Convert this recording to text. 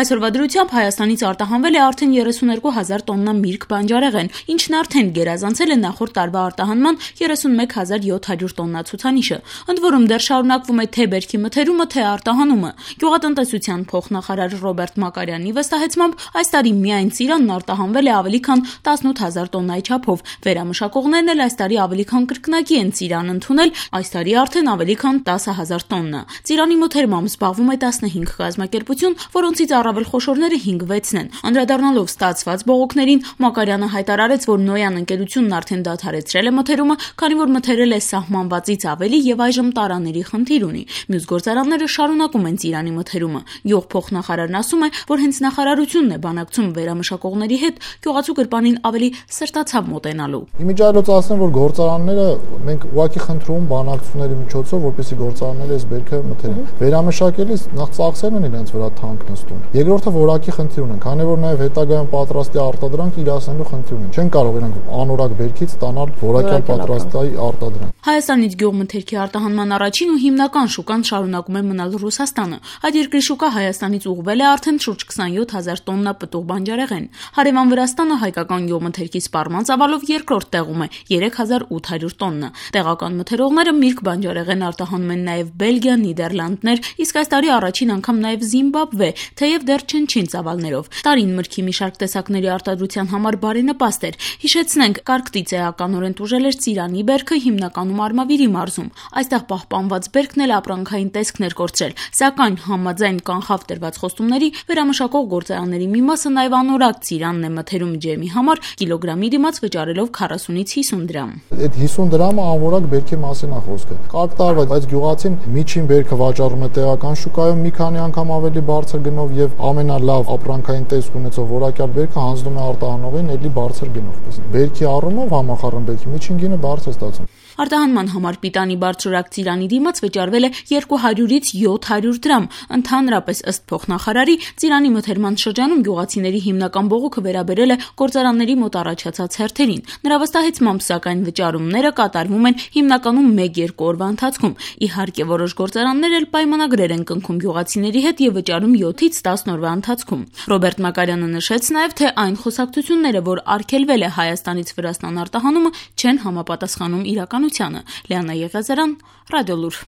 Այսօրվա դրությամբ Հայաստանից արտահանվել է արդեն 32,000 տոննա միրգ բանջարեղեն, ինչն արդեն գերազանցել է նախորդ տարվա արտահանման 31,700 տոննա ցուցանիշը։ Ընդ որում դեռ շարունակվում է թե բերքի մթերումը, թե արտահանումը։ Գյուղատնտեսության փոխնախարար Ռոբերտ Մակարյանի վստահեցմամբ այս տարի միայն ծիրանն արտահանվել է ավելի քան 18,000 տոննայի չափով։ Վերամշակողներն էլ այս տարի ավելի քան կրկնակի են ծիրան ընդունել, այս տարի արդեն ավելի քան 10,000 տոննա։ Ծիրանի մթերմամբ զբաղվում է 15 կազմակերպություն, որոնցից առավել խոշորները 5-6-ն են։ Անդրադառնալով ստացված բողոքներին, Մակարյանը հայտարարեց, որ Նոյան ընկերությունն արդեն դադարեցրել է մթերումը, քանի որ մթերել է սահմանվածից ավելի եւ այժմ տարաների խնդիր ունի։ Մյուս գործարանները շարունակում են ծիրանի մթերումը։ Գյուղ փոխնախարարն ասում է, որ հենց նախարարությունն է բանակցում վերամշակողների հետ գյուղացու գրպանին ավելի սրտացավ մոտենալու։ Իմիջիայլոց ասեմ, որ գործարանները մենք ուղղակի խնդրում բանակցությունների միջոցով, որպեսզի գործարանները այս բերքը մթերեն։ Վերամշակելիս նախ ծախսերն են իրենց վրա թանկ նստում։ Երկրորդը որակի խնդիր ունեն, քանի որ նաև հետագայում պատրաստի արտադրանք իրացնելու խնդիր ունեն։ Չեն կարող իրանք անորակ բերքից ստանալ որակյալ պատրաստի արտադրանք։ Հայաստանից գյուղմթերքի արտահանման առաջին ու հիմնական շուկան շարունակում է մնալ Ռուսաստանը։ Այդ երկրի շուկա Հայաստանից ուղղվել է արդեն շուրջ 27,000 տոննա պտուղ բանջարեղեն։ Հարևան Վրաստանը հայկական գյուղմթերքի սպառման ծավալով երկրորդ տեղում է 3,800 տոննա։ Տեղական մթերողները միրգ բանջարեղեն արտահանում են նաև Բելգիա, Նիդերլանդներ, իսկ այս տարի առաջին անգամ նաև Զիմբաբվե, թեև դեռ չնչին ծավալներով։ Տարին մրգի մի շարք տեսակների արտադրության համար բարենպաստ էր։ Հիշեցնենք, Կարկտից էականորեն տուժել էր ծիրանի բերքը հիմնականում Արմավիրի մարզում։ Այստեղ պահպանված բերքն էլ ապրանքային տեսքն էր կորցրել, սակայն համաձայն կանխավ տրված խոստումների վերամշակող գործարանների մի մասը նաև անորակ ծիրանն է մթերում ջեմի համար կիլոգրամի դիմաց վճարելով 40-ից 50 դրամ։ Այդ 50 դրամը անորակ բերքի մասին է խոսքը։ Կարկ տարվա, բայց գյուղացին միջին բերքը վաճառում է տեղական շուկայում մի քանի անգամ ավելի բարձր գնով եւ ամենալավ ապրանքային տեսք ունեցող որակյալ բերքը հանձնում է արտահանողին էլի բարձր գնով։ Բերքի առումով համախառն բերքի միջին գինը բարձր է ստացվում։ Արտահանման համար պիտանի բարձրորակ ծիրանի դիմաց վճարվել է 200-ից 700 դրամ։ Ընդհանրապես ըստ փոխնախարարի, ծիրանի մթերման շրջանում գյուղացիների հիմնական բողոքը վերաբերել է գործարանների մոտ առաջացած հերթերին։ Նրա վստահեցմամբ, սակայն վճարումները կատարվում են հիմնականում 1-2 օրվա ընթացքում։ Իհարկե, որոշ գործարաններ էլ պայմանագրեր են կնքում գյուղացիների հետ եւ վճարում 7-ից 10 օրվա ընթացքում։ Ռոբերտ Մակարյանը նշեց նաեւ, թե այն խոսակցությունները, որ արգելվել է Հայաստանից Վրաստան արտահանումը, չեն համապատասխանում իրականությանը։ Լիանա Եղիազարյան, Ռադիոլուր։